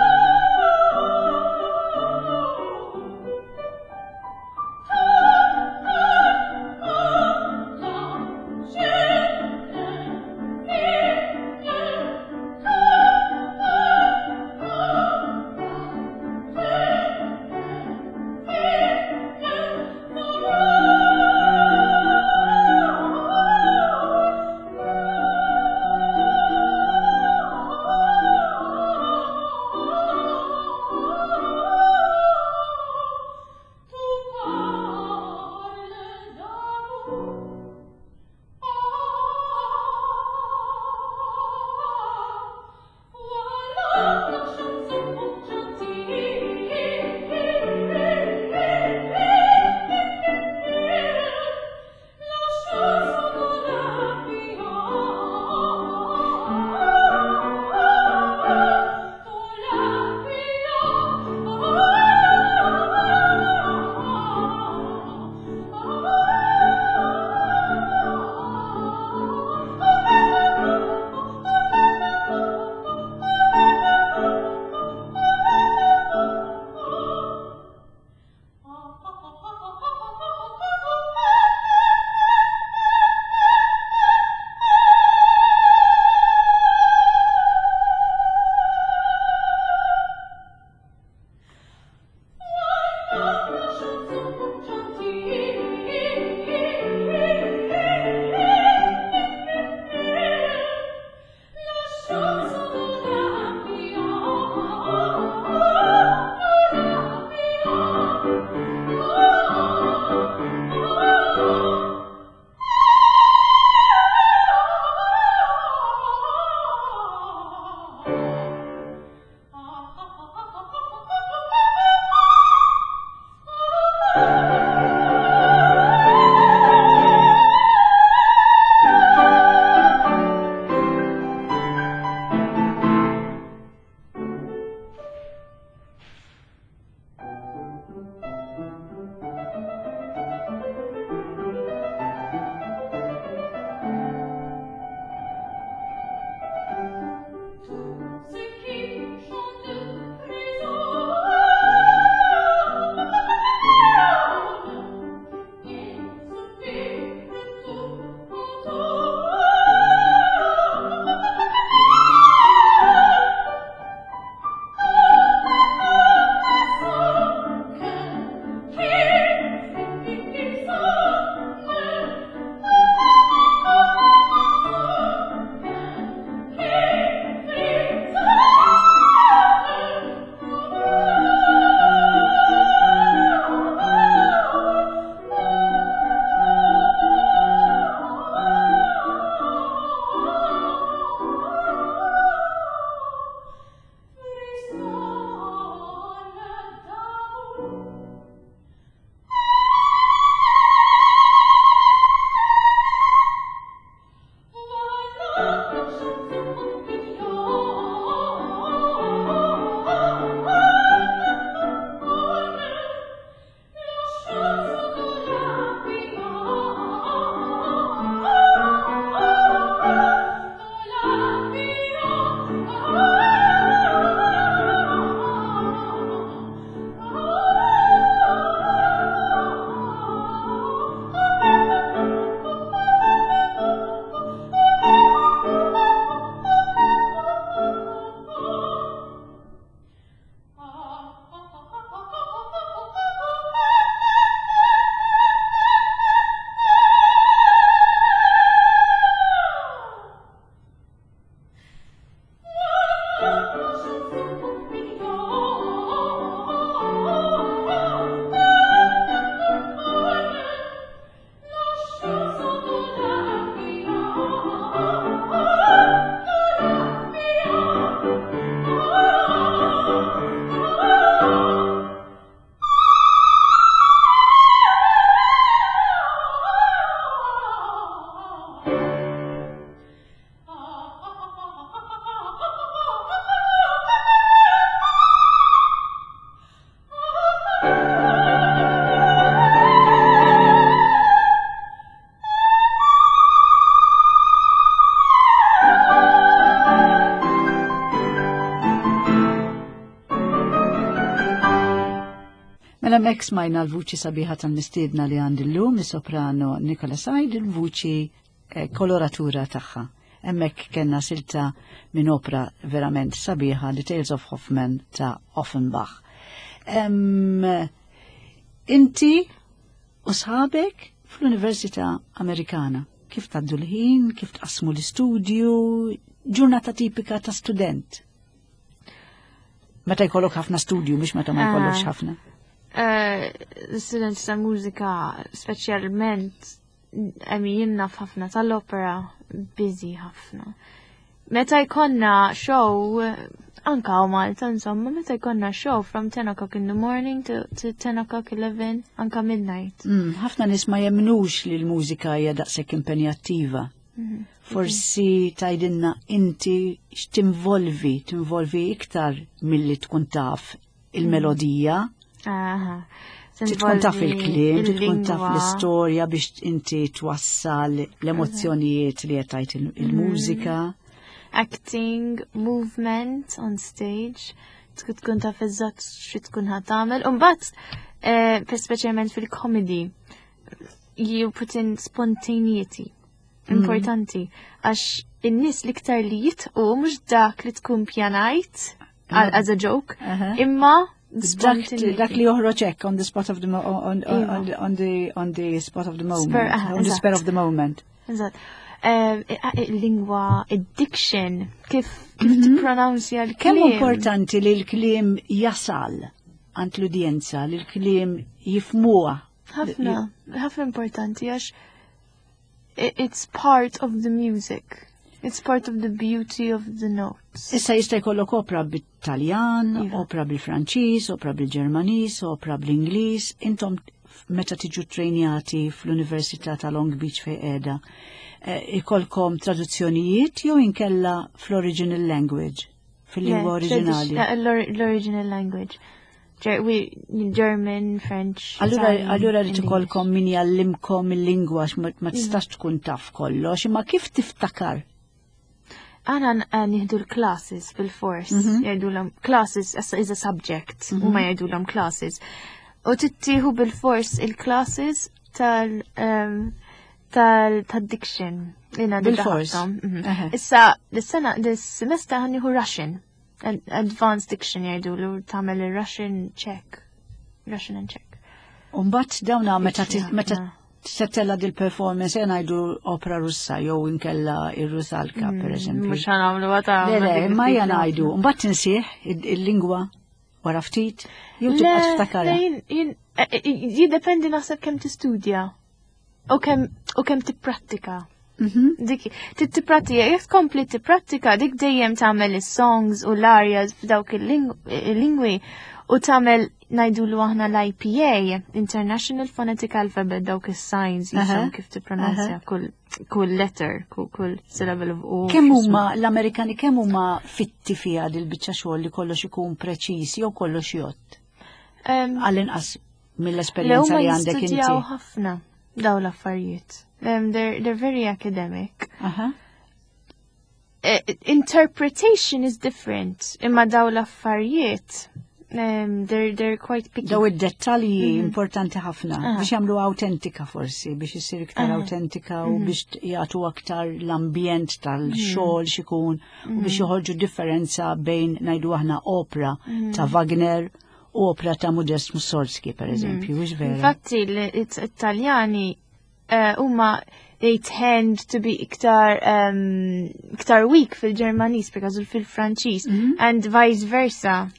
Hemmhekk smajna l-vuċi sabiħa tal-mistiedna li għandi llum, is-soprano Nicola Said, il-vuċi eh, koloratura tagħha. Hemmhekk kellna silta minn opra verament sabiħa, The Tales of Hoffman ta' Offenbach. Em, inti u sħabek fl-Università Amerikana, kif tgħaddu l-ħin, kif tqasmu l-istudju, ġurnata tipika ta' student? Meta jkollok ħafna studju, mhux meta ma jkollokx Ah. ħafna. Eh, L-studenti ta' mużika, speċjalment, I mean, jien naf ħafna tal-opera, busy ħafna. Meta jkollna show, anka u Malta, insomma, meta jkollna show from ten o'clock in the morning to, to ten o'clock, eleven, anka midnight. Mm, ħafna nies ma jemnux li l-mużika hija daqshekk impenjattiva. Forsi tgħidilna inti x'tinvolvi, tinvolvi iktar milli tkun taf il-melodija, Aha. trid tkun taf il-kliem, trid tkun taf il-lingwa. l-istorja biex inti twassal l-emozzjonijiet li qed tgħid il- il-mużika. Acting, movement on stage, tkun tkun taf eżatt xi tkun ħa tagħmel. U mbagħad, eh, per speċjalment fil-comedy, you put in spontaneity. Importanti. Għax in-nies l-iktar li jidħku mhux dak li tkun pjanajt għal- as a joke, Aha. imma Dak, spontaneity. Dak li joħroġ hekk on the spot of the mo on, on, Iva. on, the, on the on the spot of the moment, Spur, aha, on the spur eżatt. of the moment. Eżatt. Eh, il-lingwa, il-diction, kif kif tippronunzja l-kliem. Kemm importanti li l-kliem jasal għand l-udjenza, li l-kliem jifhmuha? Ħafna, ħafna importanti għax i- it's part of the music. It's part of the beauty of the notes. Issa jista' jkollok opra bit-Taljan, Iva. opra bil-Franċiż, opra bil-Ġermaniż, opra bl-Ingliż. Intom meta tiġu trejnjati fl-Università ta' Long Beach fej qiegħda, eh, ikolkom traduzzjonijiet jew inkella fl-original language, fil-lingwa oriġinali? Yeah, l-original language. Ger- we, German, French, Allura, Italian, allura li and ikolkom min jgħallimkom il-lingwa għax ma ma tistax tkun taf kollox, imma kif tiftakar? Aħna eh, nieħdu l-classes bil-fors, Mhm. jgħidulhom classes as is a subject, u ma jgħidulhom classes. U tittieħu bil-fors il-classes tal um, tal tal-diction. Jina Bil-fors? Mhm. Eħe. Issa, l-sena, l-semester ħa nieħu Russian. Ad- Advanced diction jgħidu tagħmel il-Russian check. Russian and Czech. Umbat dawna meta ti- Ħafna. meta settella dil-performance jena ngħidu opera Russa jew inkella ir-Rusalka, per eżempju. Mhux ħa nagħmlu għata. Le, le, imma jena ngħidu, mbagħad tinsih il-lingwa wara ftit, jew tibqa' tiftakarha. Jiddependi naħseb kemm tistudja u kemm u kemm tipprattika. Mhm. Dik tipprattika, jekk tkompli tipprattika, dik dejjem tagħmel is-songs u l-arias f'dawk il-lingwi u tagħmel ngħidulu aħna l-I P A, International Phonetic Alphabet, dawk is-signs Aha. jisom kif tippronunzja kull kull letter, kull kull syllable of U. Kemm huma l-Amerikani, kemm huma fitti fiha dil-biċċa xogħol li kollox ikun preċiż jew kollox jgħodd? Um, Għall-inqas Le mill-esperjenza huma li għandek inti. jistudjaw ħafna daw l-affarijiet. Um, they're, they're very academic. Aha. Uh, interpretation is different. Imma daw l-affarijiet, um, they're, they're quite picky. Daw id-dettalji importanti ħafna Aha. biex jagħmlu autentika forsi, biex issir iktar Aha. autentika u biex jagħtu aktar l-ambjent tal-xogħol xikun u biex joħorġu differenza bejn, ngħidu aħna, opera ta' Wagner u opera ta' Modest Mussorgsky, per eżempju, mhux vera? Infatti, l-Italjani uh, huma they tend to be iktar um, iktar weak fil-Ġermaniż because fil-Franċiż and vice versa.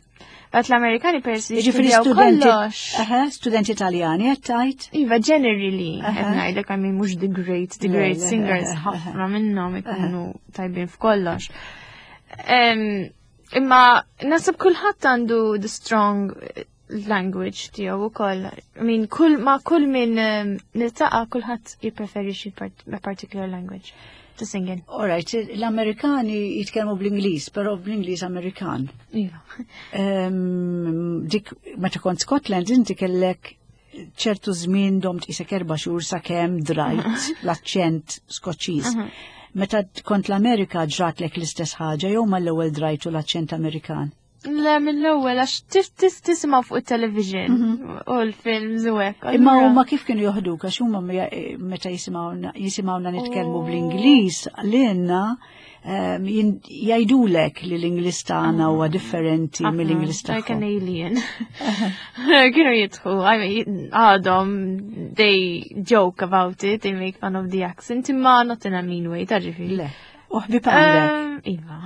But l-Amerikani peress li Jiġifieri jistudjaw studenti, kollox. Aha, studenti Italjani qed tgħid? Iva, generally, Aha. qed ngħidlek, I mean, mhux the great, the Le, great le, singers, aha, ħafna minnhom ikunu tajbin f'kollox. Em, Imma naħseb kulħadd għandu the strong eh, language tiegħu ukoll. I mean, kull ma kull min em, niltaqa' kulħadd jippreferi xi part- a particular language to sing in. All right, l-Amerikani jitkellmu bl-Ingliż, però bl-Ingliż Amerikan. Iva. Em, dik meta kont Scotland inti kellek ċertu żmien domt isek erba' xhur sakemm drajt l-aċċent Skoċċiż. Meta kont l-Amerika ġratlek l-istess ħaġa jew mal-ewwel drajtu l-aċċent Amerikan? Le, mill-ewwel għax tis tis tisimgħu fuq it-television u l-films u hekk. Imma Allura- huma kif kienu joħduk għax huma meta jisimgħuna jisimgħuna nitkellmu bl-Ingliż lilna ehm, jin- jgħidulek li l-Ingliż tagħna huwa differenti Ħafna, mill-Ingliż Like an tagħhom. alien. Kienu jidħku, I mean, għadhom, they joke about it, they make fun of the accent, imma not in a mean way, ta' ġifieri. Le. U ħbib għandek. Um, Iva.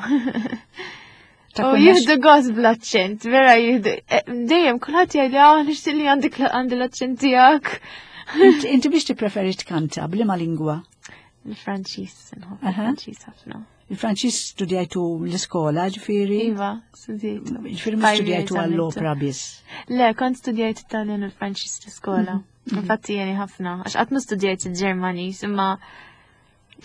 Ta' U kunna jieħdu gost bl-accent, vera jieħdu. eh, Dejjem, kulħadd jgħid, ah, nixtieq li għandek għandi l-accent tiegħek. Inti inti biex tippreferi tkanta b'liema lingwa? Il-Franċiż, nħobb Aha. il-Franċiż ħafna. Il-Franċiż studjajtu l-iskola, ġifieri? Iva, studjajtu. Ġifieri mhux Five studjajtu years għall-opera biss. Le, kont studjajt Italjan u l-Franċiż l-iskola. Infatti jeni ħafna, għax qatt ma studjajt il-Ġermaniż, imma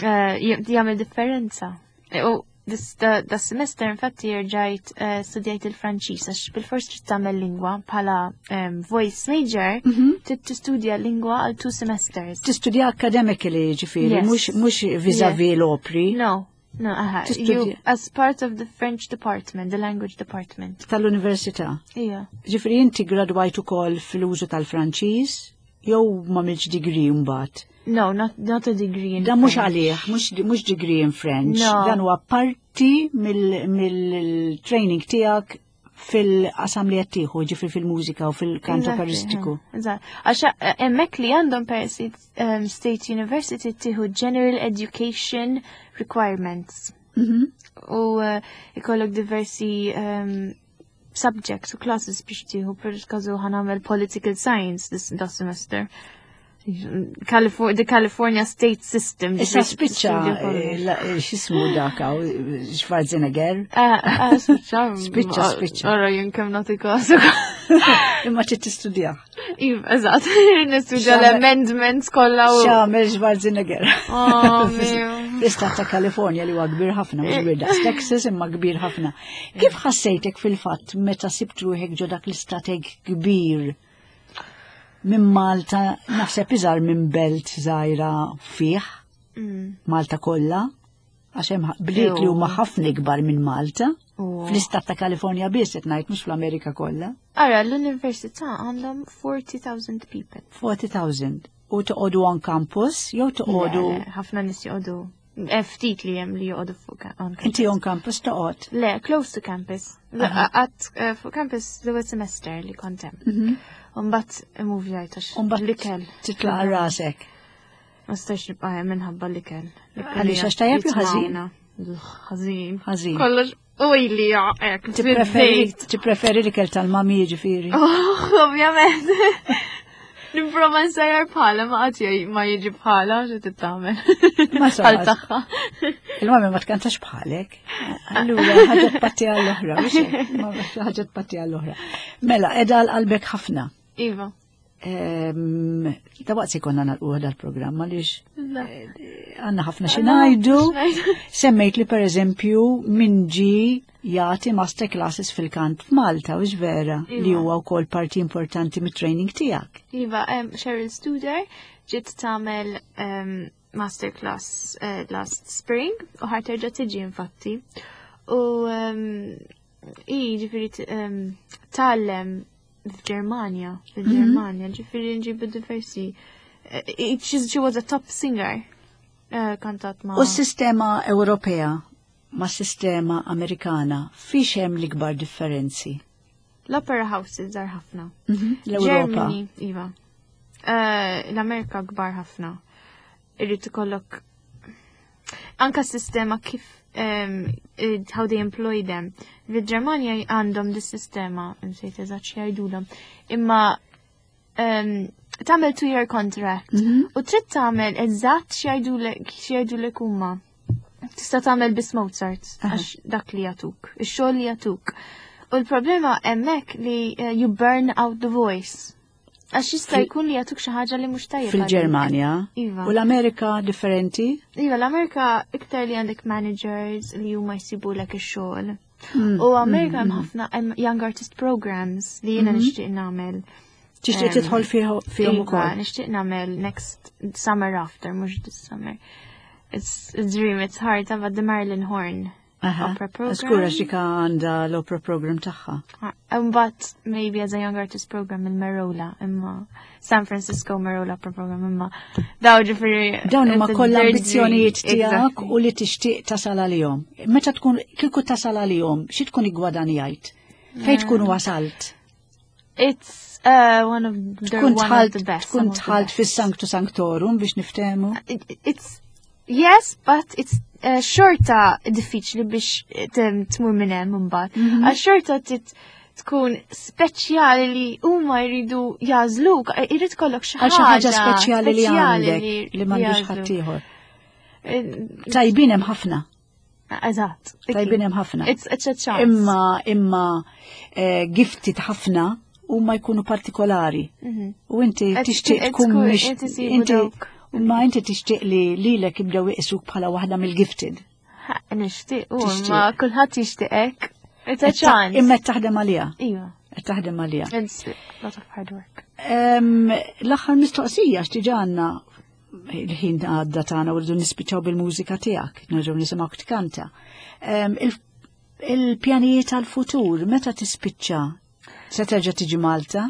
eh, jagħmel differenza. E, U this the, the semester infatti rġajt eh, studjajt il-Franċiż għax bil-fors trid tagħmel lingwa bħala em, voice major, trid tistudja lingwa għal two semesters. Tistudja academically ġifieri, Yes. mhux mhux vis-a-vis l-opri. No, no, aha. Tistudja- You, as part of the French department, the language department. Tal-università. Ija. Ġifieri inti gradwajt ukoll fil-użu tal-Franċiż jew ma milx degree mbagħad. No, not, not a degree in Dan mhux French. għalih, mhux mhux degree in French. No. Dan huwa parti mill-training tiegħek fil-qasam li qed tieħu, ġifieri fil-mużika u fil-kant Exactly, operistiku. eh, Eżatt. Għax eh, hemmhekk li għandhom per um, State University tieħu General Education Requirements. Mhm. U eh, ikollok diversi um, subjects u classes biex tieħu per każu ħa nagħmel Political Science this, this semester. California, the California State System. Issa ġifieri spiċċa tistudja kollox. eh, la- eh, x'ismu dak hawn, Schwarzenegger. Ah, ah, spiċċa. Spiċċa, spiċċa. Ora jien kemm nagħti kasu. Imma trid tistudja. Iva, eżatt. Nistudja X'għamel- l-amendments kollha u. X'għamel Schwarzenegger. Oh, mio. L-istat ta' California li huwa kbir ħafna, mhux kbir daqs Texas imma kbir ħafna. Kif ħassejtek fil-fatt meta sibt ruħek ġo dak l-istat hekk kbir minn Malta, naħseb iżgħar minn belt żgħira fih, Mm. Malta kollha, għax hemm bliet li huma ħafna ikbar minn Malta. U- Fl-istat ta' California biss qed ngħid mhux fl-Amerika kollha. Ara, l-università għandhom forty thousand people. forty thousand. U toqogħdu on campus jew toqogħdu Le, le, ħafna nies joqogħdu. Eh, Ftit li hemm li joqogħdu fuq ka- on campus. Inti on campus toqgħod? Le, close to campus. Għat eh, fuq campus l-ewwel semester li kont hemm. Umbagħad immuvjajt għax Umbagħad l-ikel. Titlaq għal rasek. Ma stax nibqa' hemm minħabba l-ikel. L-ikel Għaliex, għax tajjeb jew ħażin? jitmawna. Ħażin. Ħażin. Kollox oily hekk. Tippreferi tippreferi l-ikel tal-mami ġifieri. Oh, ovvjament. Nipprova nsajjar bħala ma qatt jgħid- ma jiġi bħala xi titgħamel. Ma Bħal saqas. tagħha. Il-mami ma tkantax bħalek. Allura ħaġa tpatti għall-oħra, mhux hekk? Ma- ħaġa tpatti għall-oħra. Mela, edha għal qalbek ħafna. Iva. Ehm, Da waqt se konna nagħlqu dal-programm għaliex għandna ħafna xi ngħidu. Semmejt li per eżempju min ġi jagħti master classes fil-kant f'Malta, u vera li Iva. huwa wkoll parti importanti mit-training tiegħek. Iva, um, Cheryl Studer ġiet tagħmel um, masterclass uh, last spring u ħa terġa' tiġi infatti. U um, i ġifieri t- um, tgħallem f'Ġermanja, fil-Ġermanja, ġifieri nġibu diversi. eh, She she was a top singer. Uh, kantat ma. U s-sistema Ewropea ma' sistema Amerikana fiex hemm l-ikbar differenzi? L-opera houses żgħar ħafna. L-Ewropa. Germany, iva. Eh, L-Amerika kbar ħafna. Irrid ikollok anka s-sistema kif um, eh, how they employ them. Fil-Ġermanja għandhom dis-sistema, nsejt eżatt x'jgħidulhom, imma um, tagħmel two year contract u trid tagħmel eżatt x'jgħidulek x'jgħidulek huma. Tista' tagħmel biss Mozart għax dak li jagħtuk, ix-xogħol li jagħtuk. U l-problema hemmhekk li uh, you burn out the voice. Għax jista' jkun li jagħtuk xi ħaġa li mhux tajjeb għalik. Fil-Ġermanja. Iva. U l-Amerika differenti? Iva, l-Amerika iktar li għandek managers li huma jsibulek ix-xogħol. U Amerika hemm ħafna hemm young artist programs li jiena nixtieq nagħmel. Tixtieq Em, tidħol fih- fihom Iva, ukoll. nixtieq nagħmel next summer after, mhux this summer. It's a dream, it's hard, but the Marilyn Horne Opera Program. Żgur għax dik għandha l-opera program tagħha. But maybe as a young artist program il-Merola, imma San Francisco Merola Opera Program, imma daw ġifieri. Dawn huma kollha ambizzjonijiet tiegħek u li tixtieq tasal għalihom. Meta tkun kieku tasal għalihom, xi tkun iggwadanjajt? Fejn tkun wasalt? It's uh, one of the Tkun one of the dħalt best. tkun some of the dħalt best. fis-Sanctu Sanctorum biex niftehmu. It- It's yes, but it's uh, xorta diffiċli biex tem- tmur minn hemm imbagħad. Mhm. Għax xorta tit tkun speċjali li huma jridu jażluk, irid kollok xi Għal xi ħaġa speċjali li għandek li m'għandux jażlu. ħaddieħor. Eh, Tajbin hemm ħafna, Eżatt. tajbin hemm ħafna. It's it's a chance. Imma imma eh, gifted ħafna huma jkunu partikolari. Mhm. U inti Qed- tixtieq qed tkun tkun- mhix qed isibu inti dawk. imma inti tixtieq li lilek jibdew iqisuk bħala waħda mill-gifted. Ha, Nixtieq, u Tixtieq. ma kulħadd jixtieq hekk. It's a chance. Imma qed taħdem għaliha, Iva. qed taħdem għaliha. It's a lot of hard work. Em, L-aħħar mistoqsija x'diġà għandna il-ħin għadda tagħna u rridu nispiċċaw bil-mużika tiegħek, nerġgħu nisimgħu tkanta. Em, il- Il-pjanijiet għal-futur, meta tispiċċa? Se terġa' tiġi Malta?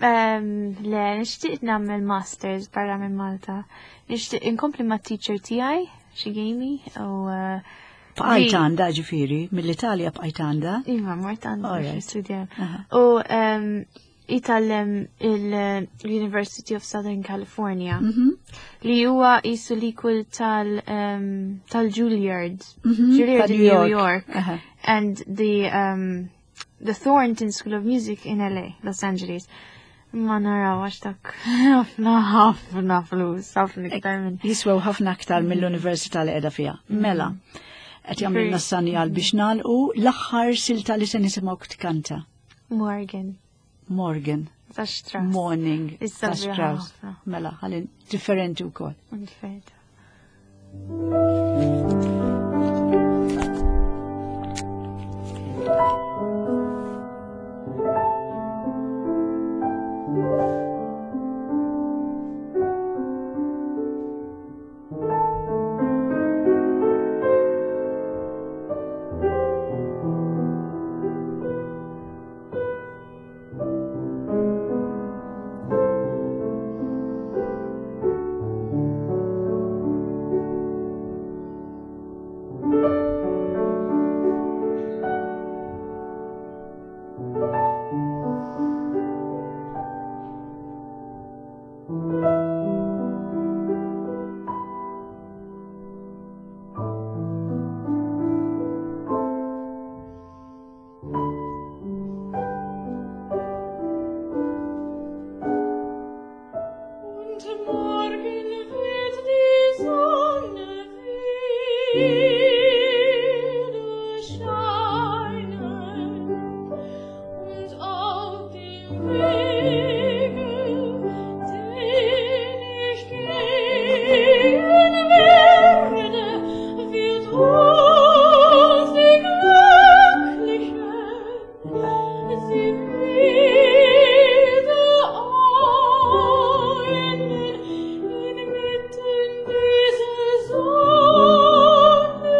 Um, le, nixtieq nagħmel masters barra minn Malta. Nixtieq inkompli ma' teacher tiegħi, Shigemi, u uh, Bqajt Li- għandha ġifieri, mill-Italja bqajt għandha. Iva, mort għandha All biex right. nistudja. Aha. U um, itallem il-University of Southern California Mhm. li huwa jisu l-equal tal, um, tal-Juilliard. Mhm, Juilliard ta' in New York. Aha. And the um, the Thornton School of Music in L A, Los Angeles. Ma naraw għax dak ħafna ħafna flus, ħafna iktar minn. Jiswew ħafna aktar mill-università li qiegħda fiha. Mela, qed jagħmlilna s-sanjal biex nagħlqu l-aħħar silta li se nisimgħu tkanta. Morgen, Morgen, ta' Strauss. Morning, Issa ta' sabiħa Strauss. ħafna. Mela, ħalli differenti wkoll. Differenti. Und morgen wird die Sonne wieder scheinen und auf dem Wege, den ich gehen werde, wird uns die Glücklichen sie wieder einen inmitten dieser Sonne.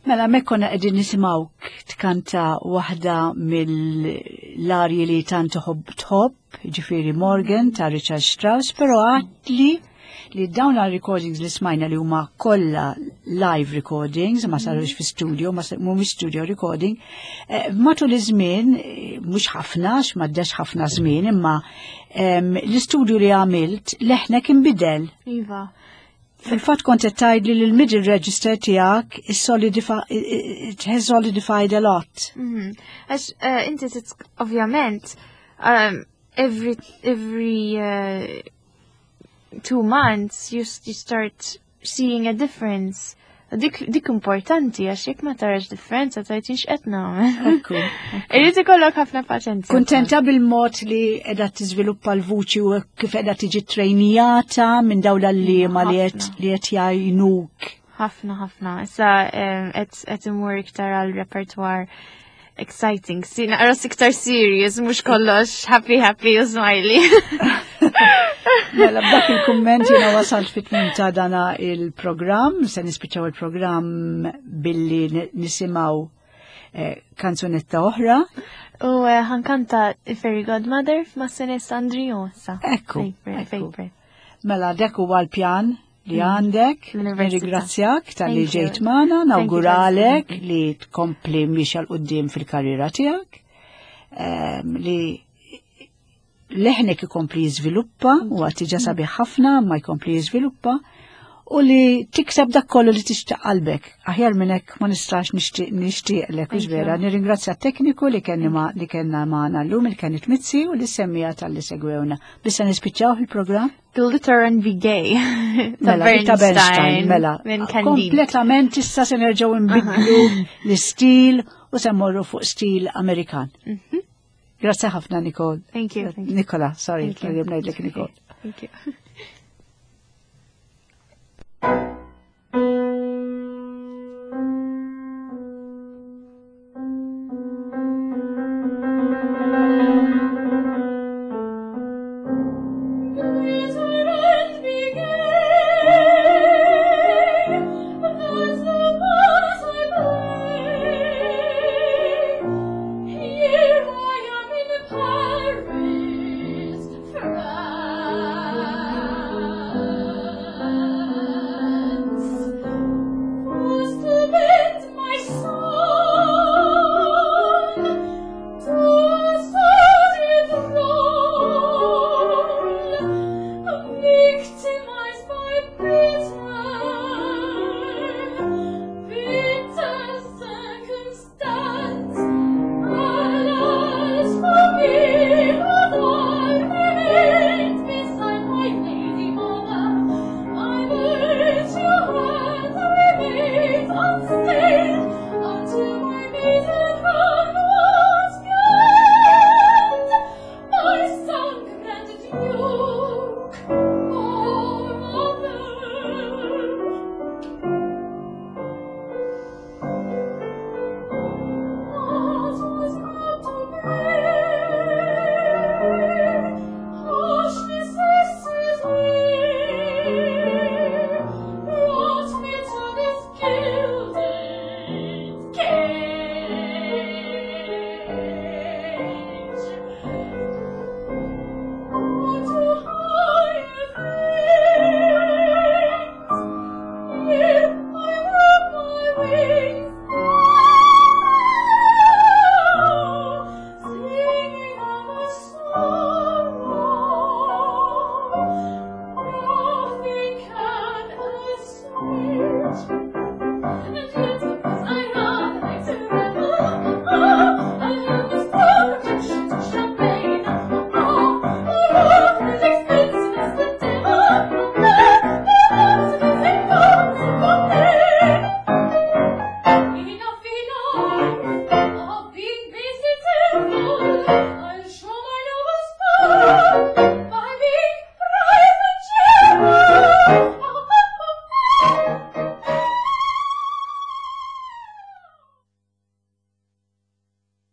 Mela, mek konna qegħdin nisimgħuk tkanta waħda mill-arji li tant tħobb tħobb, ġifieri Morgan ta' Richard Strauss, però għedtli li dawn recordings li smajna li huma kollha live recordings, ma sarux fi studio, ma mhumiex studio recording, eh, matul iż-żmien, eh, mhux ħafna, m'għaddax ħafna żmien, imma l-istudju li għamilt leħnek inbidel. Iva. Fil-fatt kont qed tgħidli li l-middle register tiegħek is it has solidified a lot. Mhm. Għax eh, inti ovvjament um, every every uh, two months you, you start seeing a difference. Dik, dik importanti għax jekk ma tarax differenza tgħid x'qed nagħmel. Irid ikollok ħafna paċenzja. Kuntenta bil-mod li qiegħda tiżviluppa l-vuċi u kif qiegħda tiġi trejnijata minn dawn l-għalliema li qed li qed jgħinuk. Ħafna ħafna. Issa qed imur iktar għal repertoire exciting. Si naqra iktar serious, mhux kollox happy happy u smiley. Mela b'dak il-kumment jiena wasalt fit-tmiem ta' dana il-programm, se nispiċċaw il-programm billi nisimgħu eh, kanzunetta oħra. U eh, ħa nkanta Fairy Godmother f'Massenet Cendrillon sa. Ekku. Mela dak huwa l-pjan li mm. għandek, nirringrazzjak talli ġejt magħna, nawguralek li tkompli miexja 'l quddiem fil-karriera tiegħek, ehm, li leħnek ikompli jiżviluppa u għad diġà sabiħ ħafna ma jkompli jiżviluppa u li tikseb dak kollu li tixtieq qalbek. Aħjar minn hekk ma nistax nixtieqlek, hux vera. Nirringrazzja t-tekniku li kenni ma li kellna magħna llum il kienet Mizzi u li semmiegħa talli segwewna. Bissa nispiċċaw il-programm? Glitter and be gay. Mela, ta' Bernstein, mela. Kompletament issa se nerġgħu nbidlu l-istil u se mmorru fuq stil Amerikan. Mhm. Grazie ħafna, Nicole. Thank you. Nicola, sorry, Thank you. Nicole. Thank you.